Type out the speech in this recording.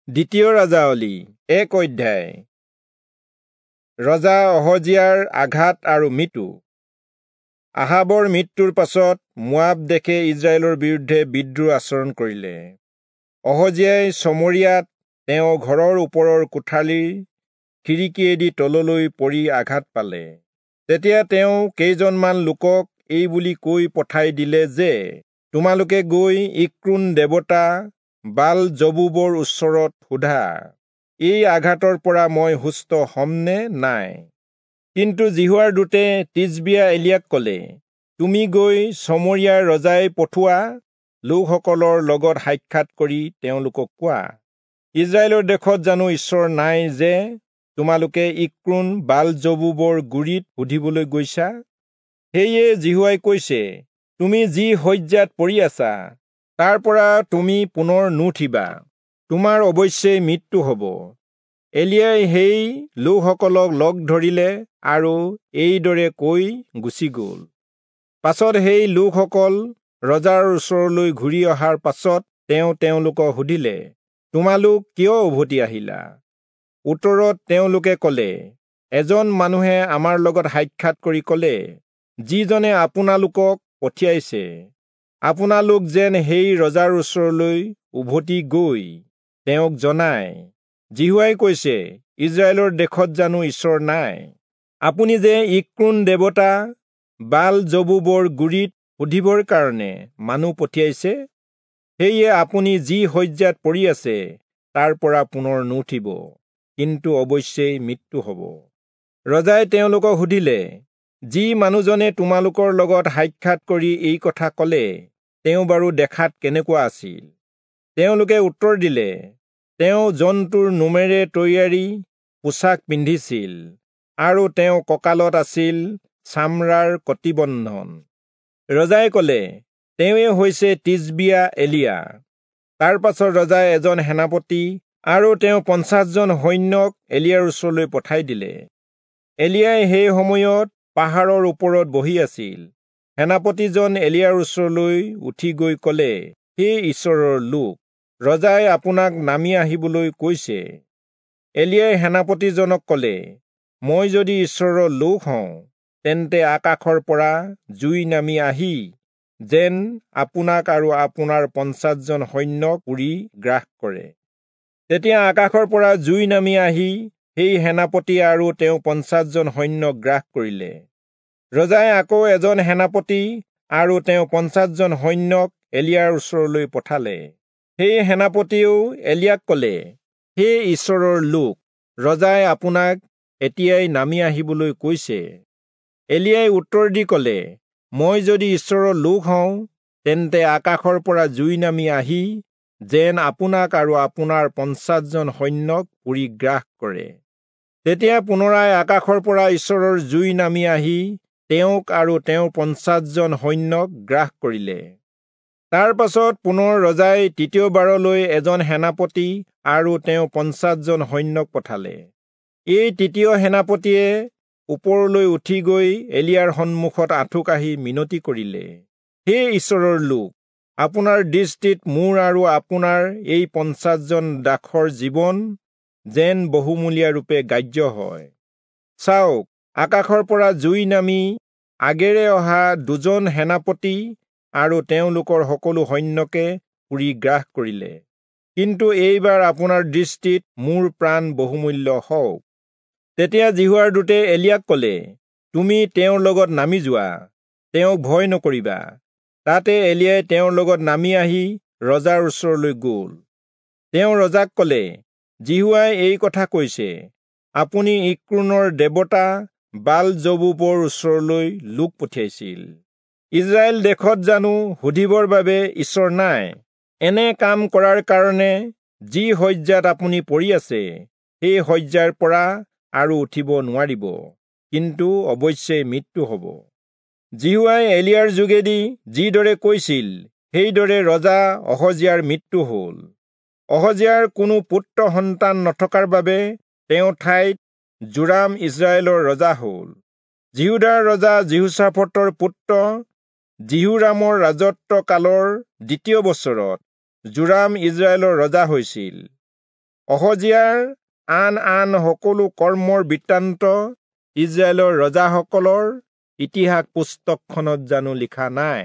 দ্বিতীয় ৰাজাৱলী 1 অধ্যায়। ৰজা অহজিয়াৰ আঘাত আৰু মৃত্যু। আহাবৰ মৃত্যুৰ পাছত মোৱাব দেশে ইজৰাইলৰ বিৰুদ্ধে বিদ্ৰোহ আচৰণ কৰিলে। অহজিয়াই চমৰিয়াত তেওঁ ঘৰৰ ওপৰৰ কোঠালিৰ খিৰিকীয়েদি তললৈ পৰি আঘাত পালে। তেতিয়া তেওঁ কেইজনমান লোকক এই বুলি কৈ পঠাই দিলে যে, তোমালোকে গৈ ইক্ৰোণ দেৱতা বাল জবুবৰ ওচৰত সোধা, এই আঘাতৰ পৰা মই সুস্থ হ'ম নে নাই? কিন্তু যিহোৱাৰ দূতে তিচবিয়া এলিয়াক ক'লে, তুমি গৈ চমৰিয়াৰ ৰজাই পঠোৱা লোকসকলৰ লগত সাক্ষাৎ কৰি তেওঁলোকক কোৱা, ইজৰাইলৰ দেশত জানো ঈশ্বৰ নাই যে তোমালোকে ইক্ৰোণ বাল জবুবৰ গুৰিত সুধিবলৈ গৈছা? সেয়ে যিহোৱাই কৈছে, তুমি যি শয্যাত পৰি আছা তাৰ পৰা তুমি পুনৰ নুঠিবা, তোমাৰ অৱশ্যেই মৃত্যু হ'ব। এলিয়াই সেই লোকসকলক লগ ধৰিলে আৰু এইদৰে কৈ গুচি গ'ল। পাছত সেই লোকসকল ৰজাৰ ওচৰলৈ ঘূৰি অহাৰ পাছত তেওঁ তেওঁলোকক সুধিলে, তোমালোক কিয় উভতি আহিলা? উত্তৰত তেওঁলোকে ক'লে, এজন মানুহে আমাৰ লগত সাক্ষাৎ কৰি ক'লে, যিজনে আপোনালোকক পঠিয়াইছে, আপোনালোক যেন সেই ৰজাৰ ওচৰলৈ উভতি গৈ তেওঁক জনায়, যিহোৱাই কৈছে, ইজৰাইলৰ দেশত জানো ঈশ্বৰ নাই? আপুনি যে ইক্ৰোণ দেৱতা বাল জবুবৰ গুৰিত সুধিবৰ কাৰণে মানুহ পঠিয়াইছে, সেয়ে আপুনি যি শয্যাত পৰি আছে তাৰ পৰা পুনৰ নুঠিব, কিন্তু অৱশ্যেই মৃত্যু হ'ব। ৰজাই তেওঁলোকক সুধিলে, যি মানুহজনে তোমালোকৰ লগত সাক্ষাৎ কৰি এই কথা ক'লে, তেওঁ বাৰু দেখাত কেনেকুৱা আছিল? তেওঁলোকে উত্তৰ দিলে, তেওঁ জন্তুৰ নোমেৰে তৈয়াৰী পোছাক পিন্ধিছিল আৰু তেওঁ কঁকালত আছিল চামৰাৰ কটিবন্ধন। ৰজাই ক'লে, তেওঁৱে হৈছে তিচবিয়া এলিয়া। তাৰ পাছত ৰজাই এজন সেনাপতি আৰু তেওঁ 50 জন সৈন্যক এলিয়াৰ ওচৰলৈ পঠাই দিলে। এলিয়াই সেই সময়ত পাহাৰৰ ওপৰত বহি আছিল। সেনাপতিজন এলিয়াৰ ওচৰলৈ উঠি গৈ ক'লে, হে ঈশ্বৰৰ লোক, ৰজাই আপোনাক নামি আহিবলৈ কৈছে। এলিয়াই সেনাপতিজনক ক'লে, মই যদি ঈশ্বৰৰ লোক হওঁ, তেন্তে আকাশৰ পৰা জুই নামি আহি যেন আপোনাক আৰু আপোনাৰ 50 জন সৈন্যক পুৰি গ্ৰাস কৰে। তেতিয়া আকাশৰ পৰা জুই নামি আহি সেই সেনাপতি আৰু তেওঁ 50 জন সৈন্যক গ্ৰাস কৰিলে। ৰজাই আকৌ এজন সেনাপতি আৰু তেওঁ 50 জন সৈন্যক এলিয়াৰ ওচৰলৈ পঠালে। সেই সেনাপতিয়েও এলিয়াক ক'লে, হে ঈশ্বৰৰ লোক, ৰজাই আপোনাক এতিয়াই নামি আহিবলৈ কৈছে। এলিয়াই উত্তৰ দি ক'লে, মই যদি ঈশ্বৰৰ লোক হওঁ, তেন্তে আকাশৰ পৰা জুই নামি আহি যেন আপোনাক আৰু আপোনাৰ 50 জন সৈন্যক পুৰি গ্ৰাস কৰে। তেতিয়া পুনৰাই আকাশৰ পৰা ঈশ্বৰৰ জুই নামি আহি তেওঁক আৰু তেওঁৰ 50 জন সৈন্যক গ্ৰাস কৰিলে। তাৰ পাছত পুনৰ ৰজাই তৃতীয়বাৰলৈ এজন সেনাপতি আৰু তেওঁ 50 জন সৈন্যক পঠালে। এই তৃতীয় সেনাপতিয়ে ওপৰলৈ উঠি গৈ এলিয়াৰ সন্মুখত আঁঠু কাঢ়ি মিনতি কৰিলে, হে ঈশ্বৰৰ লোক, আপোনাৰ দৃষ্টিত মোৰ আৰু আপোনাৰ এই 50 জন দাসৰ জীৱন যেন বহুমূলীয়া ৰূপে গ্ৰাহ্য হয়। চাওক, আকাশৰ পৰা জুই নামি আগেৰে অহা দুজন সেনাপতি আৰু তেওঁলোকৰ সকলো সৈন্যকে পুৰি গ্ৰাস কৰিলে। কিন্তু এইবাৰ আপোনাৰ দৃষ্টিত মোৰ প্ৰাণ বহুমূল্য হওক। তেতিয়া যিহোৱাৰ দূতে এলিয়াক ক'লে, তুমি তেওঁৰ লগত নামি যোৱা, তেওঁক ভয় নকৰিবা। তাতে এলিয়াই তেওঁৰ লগত নামি আহি ৰজাৰ ওচৰলৈ গ'ল। তেওঁ ৰজাক ক'লে, যিহোৱাই এই কথা কৈছে, আপুনি ইক্ৰোণৰ দেৱতা বাল জবুবৰ ওচৰলৈ লোক পঠিয়াইছিল। ইজৰাইল দেশত জানো সুধিবৰ বাবে ঈশ্বৰ নাই? এনে কাম কৰাৰ কাৰণে যি শয্যাত আপুনি পৰি আছে, সেই শয্যাৰ পৰা আৰু উঠিব নোৱাৰিব, কিন্তু অৱশ্যেই মৃত্যু হ'ব। যিহোৱাই এলিয়াৰ যোগেদি যিদৰে কৈছিল, সেইদৰে ৰজা অহজিয়াৰ মৃত্যু হ'ল। অহজিয়াৰ কোনো পুত্ৰ সন্তান নথকাৰ বাবে তেওঁ ঠাইত যোৰাম ইজৰাইলৰ ৰজা হ'ল। যিহূদাৰ ৰজা যিহোচাফটৰ পুত্ৰ যিহোৰামৰ ৰাজত্ব কালৰ দ্বিতীয় বছৰত যোৰাম ইজৰাইলৰ ৰজা হৈছিল। অহজিয়াৰ আন আন সকলো কৰ্মৰ বৃত্তান্ত ইস্ৰায়েলৰ ৰজাসকলৰ ইতিহাস পুস্তকখনত জানো লিখা নাই?